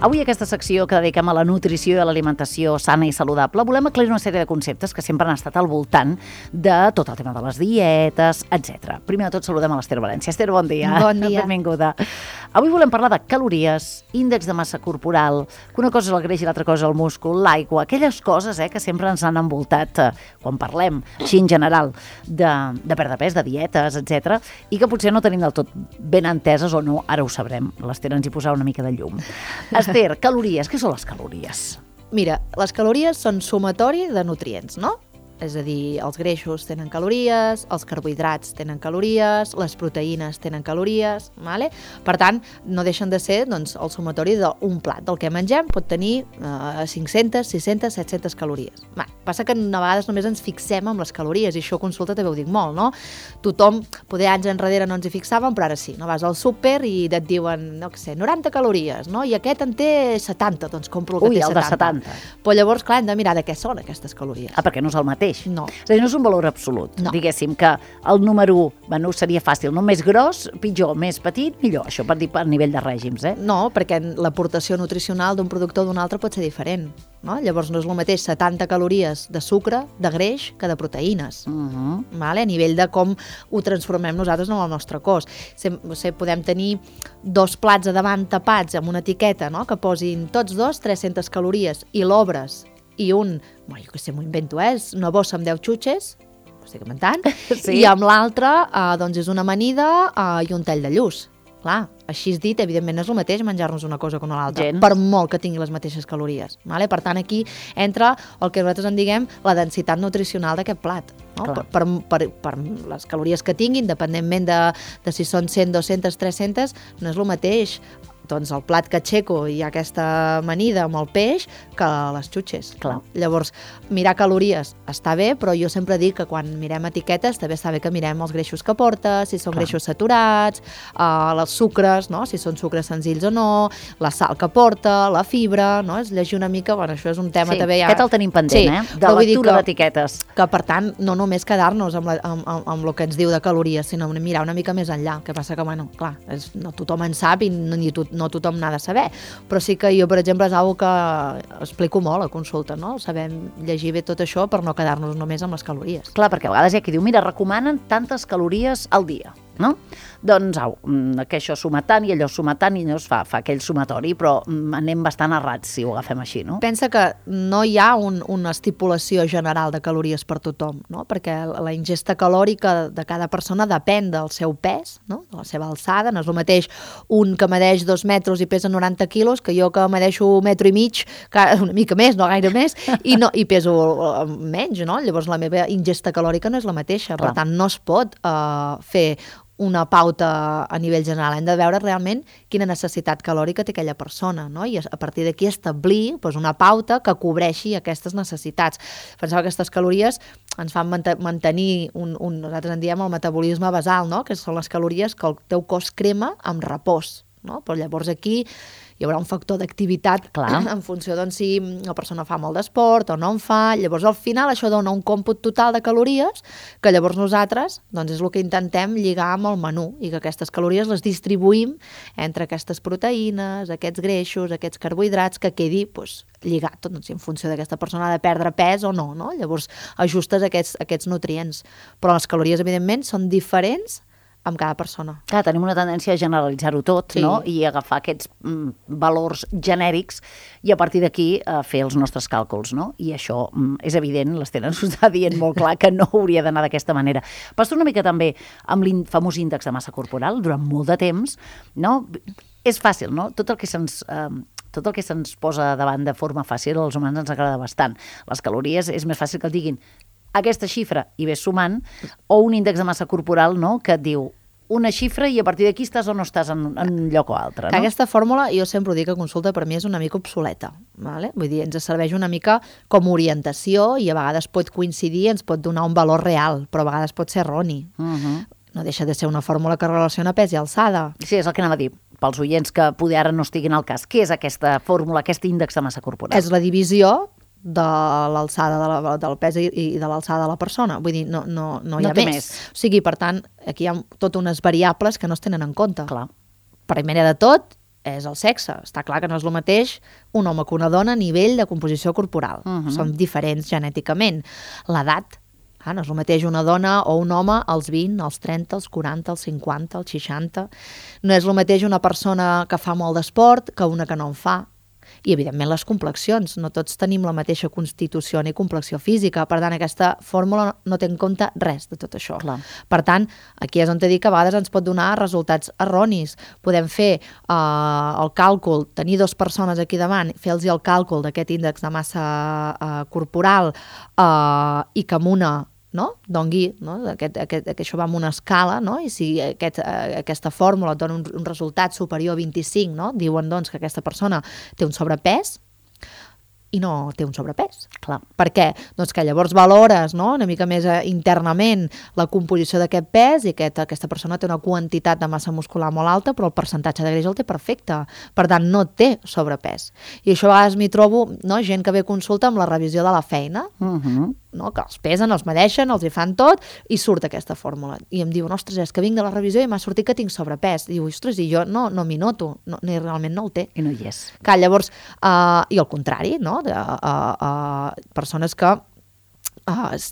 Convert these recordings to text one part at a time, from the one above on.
Avui aquesta secció que dediquem a la nutrició i a l'alimentació sana i saludable volem aclarir una sèrie de conceptes que sempre han estat al voltant de tot el tema de les dietes, etc. Primer de tot saludem a l'Ester València. Ester, bon dia. Bon dia. Benvinguda. Avui volem parlar de calories, índex de massa corporal, que una cosa és el greix i l'altra cosa és el múscul, l'aigua, aquelles coses que sempre ens han envoltat quan parlem, així en general, de perdre pes, de dietes, etc. I que potser no tenim del tot ben enteses o no, ara ho sabrem. L'Ester ens hi posarà una mica de llum. Esther, calories, què són les calories? Mira, les calories són sumatori de nutrients, no? És a dir, els greixos tenen calories, els carbohidrats tenen calories, les proteïnes tenen calories, vale? Per tant, no deixen de ser el sumatori d'un plat. Del que mengem pot tenir 500, 600, 700 calories. Passa que a vegades només ens fixem en les calories, i això a consulta també ho dic molt, no? Tothom, poder anys enrere no ens hi fixàvem, però ara sí, no? Vas al súper i et diuen, no sé, 90 calories, no? I aquest en té 70, doncs compro el que té 70. Ui, el de 70. Però llavors, clar, hem de mirar de què són aquestes calories. Perquè no és el mateix. No. És a dir, no és un valor absolut. No. Diguéssim que el número 1, seria fàcil, no? Més gros, pitjor, més petit, millor. Això per dir per nivell de règims, No, perquè l'aportació nutricional d'un producte o d'un altre pot ser diferent, no? Llavors no és el mateix 70 calories de sucre, de greix, que de proteïnes. Vale? A nivell de com ho transformem nosaltres en el nostre cos. Podem tenir 2 plats a davant tapats amb una etiqueta, no? Que posin tots 2 300 calories i l'obres i jo què sé, m'ho invento, és una bossa amb 10 xutxes, ho estic inventant, sí. I amb l'altra és una amanida i un tall de lluç. Clar, així és dit, evidentment no és el mateix menjar-nos una cosa que una altra, per molt que tingui les mateixes calories. Vale? Per tant, aquí entra el que nosaltres en diguem la densitat nutricional d'aquest plat. No? Per les calories que tinguin, independentment de si són 100, 200, 300, no és el mateix doncs el plat que aixeco i aquesta amanida amb el peix que les xutxes. Clar. Llavors, mirar calories està bé, però jo sempre dic que quan mirem etiquetes també està bé que mirem els greixos que porta, si són greixos saturats, els sucres, no? Si són sucres senzills o no, la sal que porta, la fibra, no? És llegir una mica, això és un tema també ja... Aquest el tenim pendent, de lectura d'etiquetes. Que per tant, no només quedar-nos amb el que ens diu de calories, sinó mirar una mica més enllà, que passa que, clar, no tothom en sap i no tothom n'ha de saber, però sí que jo, per exemple, és una que explico molt a consulta, no? Sabem llegir bé tot això per no quedar-nos només amb les calories. Clar, perquè a vegades hi ha qui diu, mira, recomanen tantes calories al dia, no? Doncs, que això suma tant i allò suma tant i llavors fa aquell sumatori, però anem bastant errats si ho agafem així, no? Pensa que no hi ha una estipulació general de calories per tothom, no? Perquè la ingesta calòrica de cada persona depèn del seu pes, no? De la seva alçada. No és el mateix un que medeix 2 metres i pesa 90 quilos que jo que medeixo 1,5 metres, una mica més, no gaire més, i peso menys, no? Llavors la meva ingesta calòrica no és la mateixa. Per tant, no es pot fer una pauta a nivell general. Hem de veure realment quina necessitat calòrica té aquella persona, no? I a partir d'aquí establir una pauta que cobreixi aquestes necessitats. Pensava que aquestes calories ens fan mantenir nosaltres en diem el metabolisme basal, no? Que són les calories que el teu cos crema amb repòs, no? Però llavors aquí hi haurà un factor d'activitat en funció si la persona fa molt d'esport o no en fa. Llavors, al final, això dona un còmput total de calories que llavors nosaltres és el que intentem lligar amb el menú i que aquestes calories les distribuïm entre aquestes proteïnes, aquests greixos, aquests carbohidrats, que quedi lligat, en funció d'aquesta persona ha de perdre pes o no, no? Llavors, ajustes aquests nutrients. Però les calories, evidentment, són diferents amb cada persona. Clar, tenim una tendència a generalitzar-ho tot, no? I agafar aquests valors genèrics i a partir d'aquí fer els nostres càlculs, no? I això és evident, l'Ester ens ho està dient molt clar, que no hauria d'anar d'aquesta manera. Passa una mica també amb el famós índex de massa corporal, durant molt de temps, no? És fàcil, no? Tot el que se'ns posa davant de forma fàcil als humans ens agrada bastant. Les calories és més fàcil que el diguin aquesta xifra i ves sumant, o un índex de massa corporal, no?, que et diu una xifra i a partir d'aquí estàs o no estàs en un lloc o altre, no? Aquesta fórmula, jo sempre ho dic a consulta, per mi és una mica obsoleta, vale? Vull dir, ens serveix una mica com orientació i a vegades pot coincidir, ens pot donar un valor real, però a vegades pot ser erroni. No deixa de ser una fórmula que relaciona pes i alçada. Sí, és el que anava a dir, pels oients que poder ara no estiguin al cas. Què és aquesta fórmula, aquest índex de massa corporal? És la divisió de l'alçada del pes i de l'alçada de la persona. Vull dir, no hi ha més. O sigui, per tant, aquí hi ha totes unes variables que no es tenen en compte. Clar. Primer de tot, és el sexe. Està clar que no és el mateix un home que una dona a nivell de composició corporal. Són diferents genèticament. L'edat, no és el mateix una dona o un home als 20, als 30, als 40, als 50, als 60. No és el mateix una persona que fa molt d'esport que una que no en fa. I, evidentment, les complexions. No tots tenim la mateixa constitució ni complexió física. Per tant, aquesta fórmula no té en compte res de tot això. Clar. Per tant, aquí és on t'he dit que a vegades ens pot donar resultats erronis. Podem fer el càlcul, tenir 2 persones aquí davant, fer-los el càlcul d'aquest índex de massa corporal i que amb una dongui, que això va amb una escala, i si aquesta fórmula et dona un resultat superior a 25, diuen doncs que aquesta persona té un sobrepès i no té un sobrepès. Clar. Per què? Doncs que llavors valores una mica més internament la composició d'aquest pes i que aquesta persona té una quantitat de massa muscular molt alta, però el percentatge de greix el té perfecte. Per tant, no té sobrepès. I això a vegades m'hi trobo gent que ve a consulta amb la revisió de la feina, que els pesen, els medeixen, els hi fan tot i surt aquesta fórmula. I em diuen, ostres, és que vinc de la revisió i m'ha sortit que tinc sobrepès. Diu, ostres, i jo no m'hi noto, ni realment no el té. I no hi és. Clar, llavors, i al contrari, persones que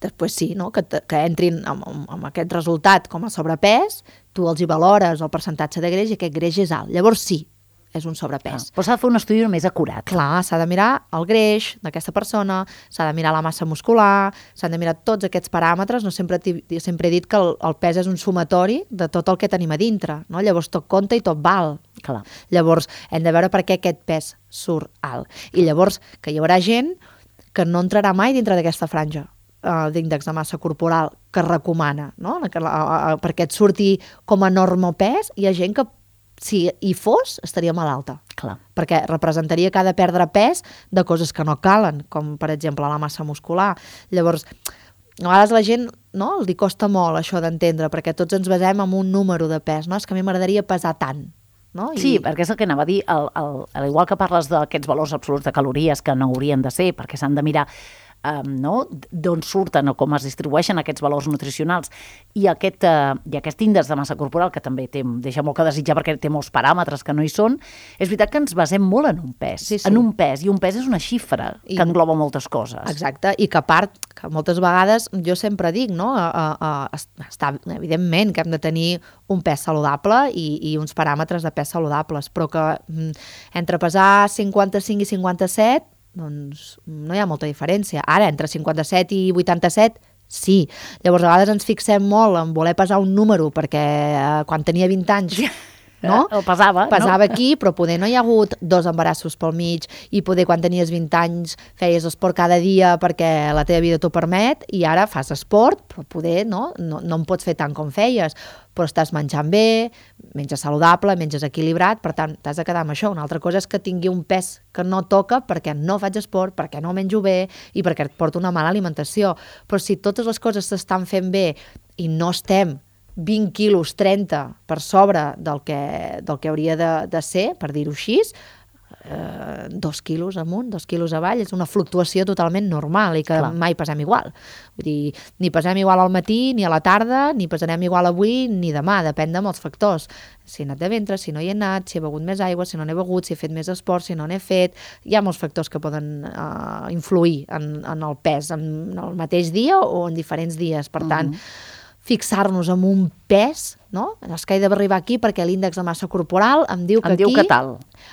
després sí, que entrin amb aquest resultat com a sobrepès, tu els hi valores el percentatge de greix i aquest greix és alt. Llavors sí, és un sobrepès. Però s'ha de fer un estudi més acurat. Clar, s'ha de mirar el greix d'aquesta persona, s'ha de mirar la massa muscular, s'han de mirar tots aquests paràmetres. Sempre he dit que el pes és un sumatori de tot el que tenim a dintre. Llavors tot compta i tot val. Clar. Llavors hem de veure per què aquest pes surt alt. I llavors que hi haurà gent que no entrarà mai dintre d'aquesta franja d'índex de massa corporal que recomana, perquè et surti com a normal pes. Hi ha gent que si hi fos, estaria malalta. Clar. Perquè representaria que ha de perdre pes de coses que no calen, com per exemple la massa muscular. Llavors, a vegades la gent li costa molt això d'entendre, perquè tots ens basem en un número de pes. És que a mi m'agradaria pesar tant. Sí, perquè és el que anava a dir, igual que parles d'aquests valors absoluts de calories que no haurien de ser, perquè s'han de mirar d'on surten o com es distribueixen aquests valors nutricionals i aquest índex de massa corporal que també deixa molt que desitjar perquè té molts paràmetres que no hi són, és veritat que ens basem molt en un pes, en un pes, i un pes és una xifra que engloba moltes coses. Exacte, i que a part, que moltes vegades jo sempre dic, està evidentment que hem de tenir un pes saludable i uns paràmetres de pes saludables, però que entre pesar 55 i 57 doncs no hi ha molta diferència. Ara, entre 57 i 87, sí. Llavors, a vegades ens fixem molt en voler pesar un número, perquè quan tenia 20 anys el pesava aquí, però poder no hi ha hagut 2 embarassos pel mig i poder quan tenies 20 anys feies esport cada dia perquè la teva vida t'ho permet i ara fas esport, però poder no en pots fer tant com feies, però estàs menjant bé, menges saludable, menges equilibrat, per tant, t'has de quedar amb això. Una altra cosa és que tingui un pes que no toca perquè no faig esport, perquè no menjo bé i perquè et porta una mala alimentació. Però si totes les coses s'estan fent bé i no estem 20 quilos, 30 per sobre del que hauria de ser, per dir-ho així, 2 quilos amunt, 2 quilos avall, és una fluctuació totalment normal i que mai pesem igual. Vull dir, ni pesem igual al matí, ni a la tarda, ni pesarem igual avui, ni demà, depèn de molts factors. Si he anat de ventre, si no hi he anat, si he begut més aigua, si no n'he begut, si he fet més esport, si no n'he fet... Hi ha molts factors que poden influir en el pes en el mateix dia o en diferents dies. Per tant, fixar-nos en un pes, és que he d'arribar aquí perquè l'índex de massa corporal em diu que aquí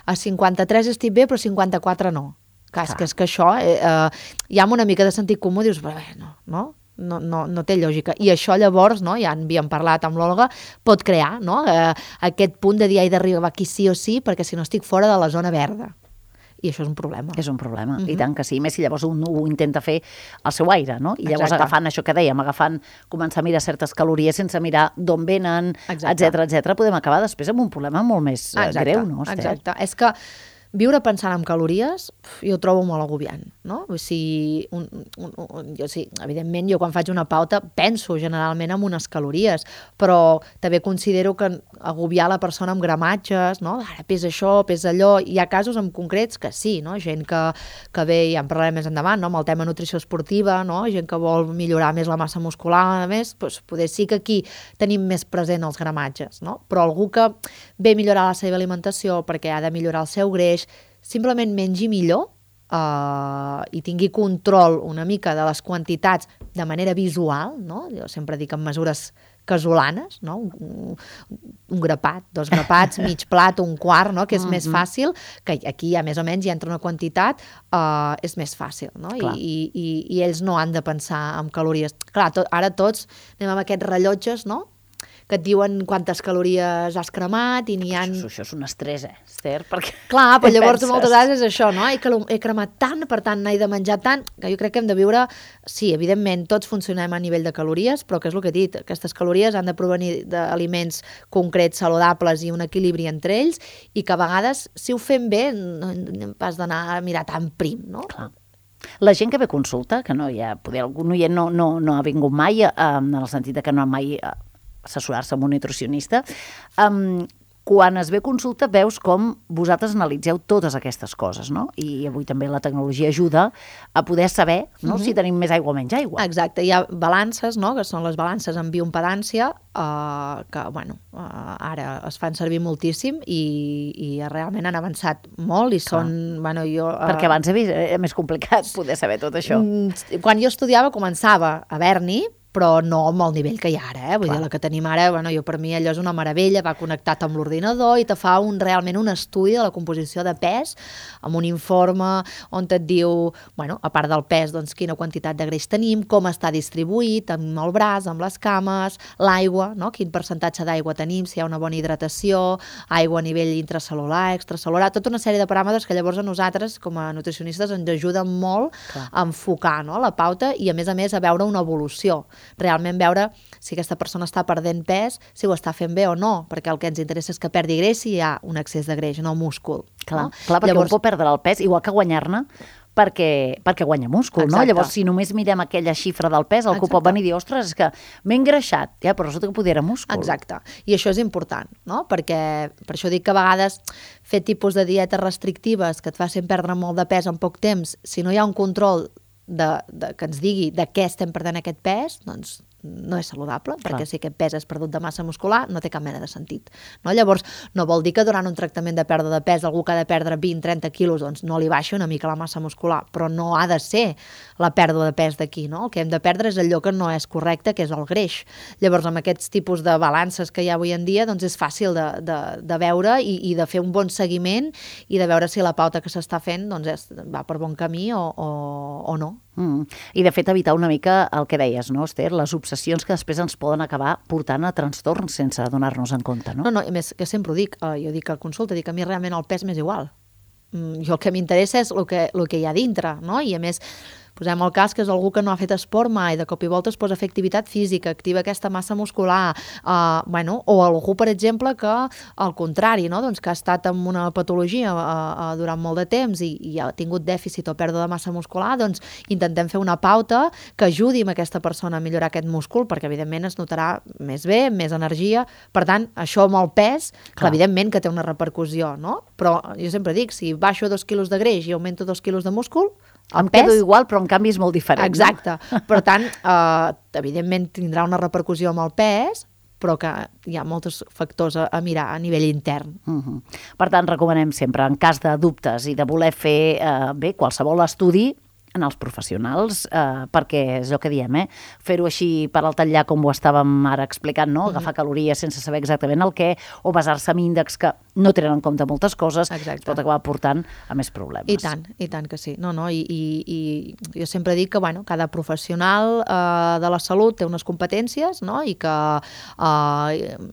a 53 estic bé però 54 no. És que això ja amb una mica de sentit comú dius, no té lògica. I això llavors, ja en havíem parlat amb l'Olga, pot crear aquest punt de dir he d'arribar aquí sí o sí perquè si no estic fora de la zona verda. I això és un problema. És un problema, i tant que sí. Més si llavors un ho intenta fer al seu aire, I llavors agafant això que dèiem, començar a mirar certes calories sense mirar d'on venen, etcètera, podem acabar després amb un problema molt més greu, no? Exacte. És que viure pensant en calories, jo ho trobo molt agobiant, no? O sigui, evidentment, jo quan faig una pauta penso generalment en unes calories, però també considero que agobiar la persona amb gramatges, no? Ara pesa això, pesa allò, hi ha casos en concrets que sí, no? Gent que ve, ja en parlarem més endavant, no? Amb el tema nutrició esportiva, no? Gent que vol millorar més la massa muscular, a més, doncs, poder sí que aquí tenim més present els gramatges, no? Però algú que ve a millorar la seva alimentació perquè ha de millorar el seu greix, simplement mengi millor i tingui control una mica de les quantitats de manera visual, no? Jo sempre dic en mesures casolanes, no? Un grapat, 2 grapats, mig plat, un quart, no? Que és més fàcil, que aquí ja més o menys hi entra una quantitat, és més fàcil, no? I ells no han de pensar en calories. Clar, ara tots anem amb aquests rellotges, no? Que et diuen quantes calories has cremat i n'hi ha... Això és un estrès, Esther, perquè... Clar, però llavors moltes vegades és això, no? He cremat tant, per tant n'he de menjar tant, que jo crec que hem de viure... Sí, evidentment, tots funcionem a nivell de calories, però que és el que he dit, aquestes calories han de provenir d'aliments concrets, saludables i un equilibri entre ells, i que a vegades, si ho fem bé, no pas d'anar a mirar tan prim, no? Clar. La gent que ve a consulta, que no hi ha... Poder algun oient no ha vingut mai, en el sentit que no ha mai... assessorar-se amb un nutricionista, quan es ve a consulta veus com vosaltres analitzeu totes aquestes coses, no? I avui també la tecnologia ajuda a poder saber, no? Si tenim més aigua o menys aigua. Exacte, hi ha balances, no? Que són les balances en bioimpedància, que, bueno, ara es fan servir moltíssim i realment han avançat molt i són, bueno, jo... Perquè abans era més complicat poder saber tot això. Quan jo estudiava començava a haver-n'hi, però no amb el nivell que hi ha ara, Vull dir, la que tenim ara, bueno, per mi allò és una meravella, va connectat amb l'ordinador i te fa realment un estudi de la composició de pes, amb un informe on et diu, bueno, a part del pes, doncs quina quantitat de greix tenim, com està distribuït, amb el braç, amb les cames, l'aigua, no? Quin percentatge d'aigua tenim, si hi ha una bona hidratació, aigua a nivell intracel·lular, extracel·lular, tota una sèrie de paràmetres que llavors a nosaltres, com a nutricionistes, ens ajuden molt a enfocar, no? La pauta i, a més, a veure una evolució. Realment veure si aquesta persona està perdent pes, si ho està fent bé o no, perquè el que ens interessa és que perdi greix si hi ha un excés de greix, no múscul. Clar, perquè llavors... un pot perdre el pes, igual que guanyar-ne, perquè guanya múscul, no? Llavors, si només mirem aquella xifra del pes, algú pot venir i dir, ostres, és que m'he engreixat, però resulta que podia era múscul. Exacte, i això és important, no? Perquè, per això dic que a vegades fer tipus de dietes restrictives que et facin perdre molt de pes en poc temps, si no hi ha un control que ens digui de què estem perdent aquest pes, doncs no és saludable, perquè si aquest pes és perdut de massa muscular, no té cap mena de sentit. No? Llavors, no vol dir que durant un tractament de pèrdua de pes algú que ha de perdre 20-30 quilos, doncs no li baixa una mica la massa muscular, però no ha de ser la pèrdua de pes d'aquí, no? El que hem de perdre és allò que no és correcte, que és el greix. Llavors, amb aquests tipus de balances que hi ha avui en dia, doncs és fàcil de veure i de fer un bon seguiment i de veure si la pauta que s'està fent doncs va per bon camí o no. I de fet evitar una mica el que deies, no, Esther? Les obsessions que després ens poden acabar portant a trastorns sense donar-nos en compte, no? No, a més, que sempre ho dic, jo dic a consulta, dic a mi realment el pes m'és igual. Jo el que m'interessa és el que hi ha dintre, no? I a més, posem el cas que és algú que no ha fet esport mai, de cop i volta es posa a fer activitat física, activa aquesta massa muscular, o algú, per exemple, que al contrari, no? Doncs que ha estat amb una patologia durant molt de temps i ha tingut dèficit o pèrdua de massa muscular, doncs intentem fer una pauta que ajudi a aquesta persona a millorar aquest múscul, perquè evidentment es notarà més bé, més energia. Per tant, això amb el pes, evidentment que té una repercussió, no? Però jo sempre dic, si baixo 2 quilos de greix i augmento 2 quilos de múscul, em quedo igual, però en canvi és molt diferent. Exacte. No? Per tant, evidentment tindrà una repercussió amb el pes, però que hi ha molts factors a mirar a nivell intern. Per tant, recomanem sempre, en cas de dubtes i de voler fer bé qualsevol estudi, en els professionals, perquè és el que diem, fer-ho així per al tallar com ho estàvem ara explicant, no? Agafar calories sense saber exactament el què, o basar-se en índexs que no tenen en compte moltes coses, pot acabar portant a més problemes. I tant que sí. I jo sempre dic que cada professional de la salut té unes competències, no? I que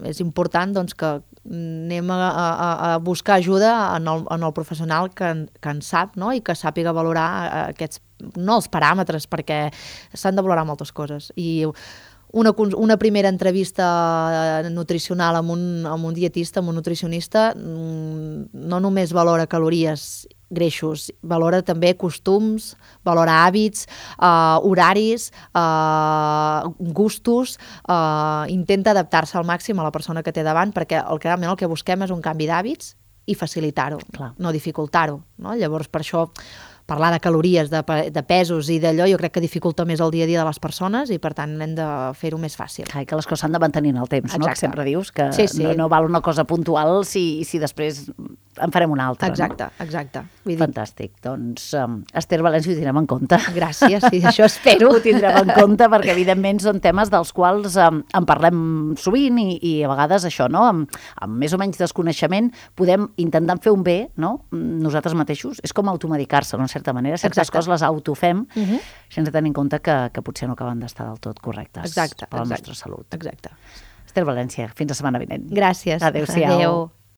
és important doncs, que anem a buscar ajuda en el professional que en sap, no? I que sàpiga valorar aquests, no els paràmetres, perquè s'han de valorar moltes coses. I una primera entrevista nutricional amb un dietista, amb un nutricionista, no només valora calories, greixos, valora també costums, valora hàbits, horaris, gustos, intenta adaptar-se al màxim a la persona que té davant, perquè realment el que busquem és un canvi d'hàbits i facilitar-ho, no dificultar-ho, no? Llavors, per això, parlar de calories, de pesos i d'allò, jo crec que dificulta més el dia a dia de les persones i, per tant, hem de fer-ho més fàcil. Clar, que les coses s'han de mantenir en el temps, no? Que sempre dius que no val una cosa puntual si després en farem una altra. Exacte, no? Exacte. Fantàstic. Doncs, Esther València, ho tindrem en compte. Gràcies, sí, això espero. Ho tindrem en compte perquè, evidentment, són temes dels quals en parlem sovint i a vegades això, no? Amb més o menys desconeixement podem intentar fer un bé, no? Nosaltres mateixos. És com automedicar-se, no? En certa manera. Certes coses les autofem sense tenir en compte que potser no acaben d'estar del tot correctes per la nostra salut. Exacte. Esther València, fins la setmana vinent. Gràcies. Adéu-siau. Adéu.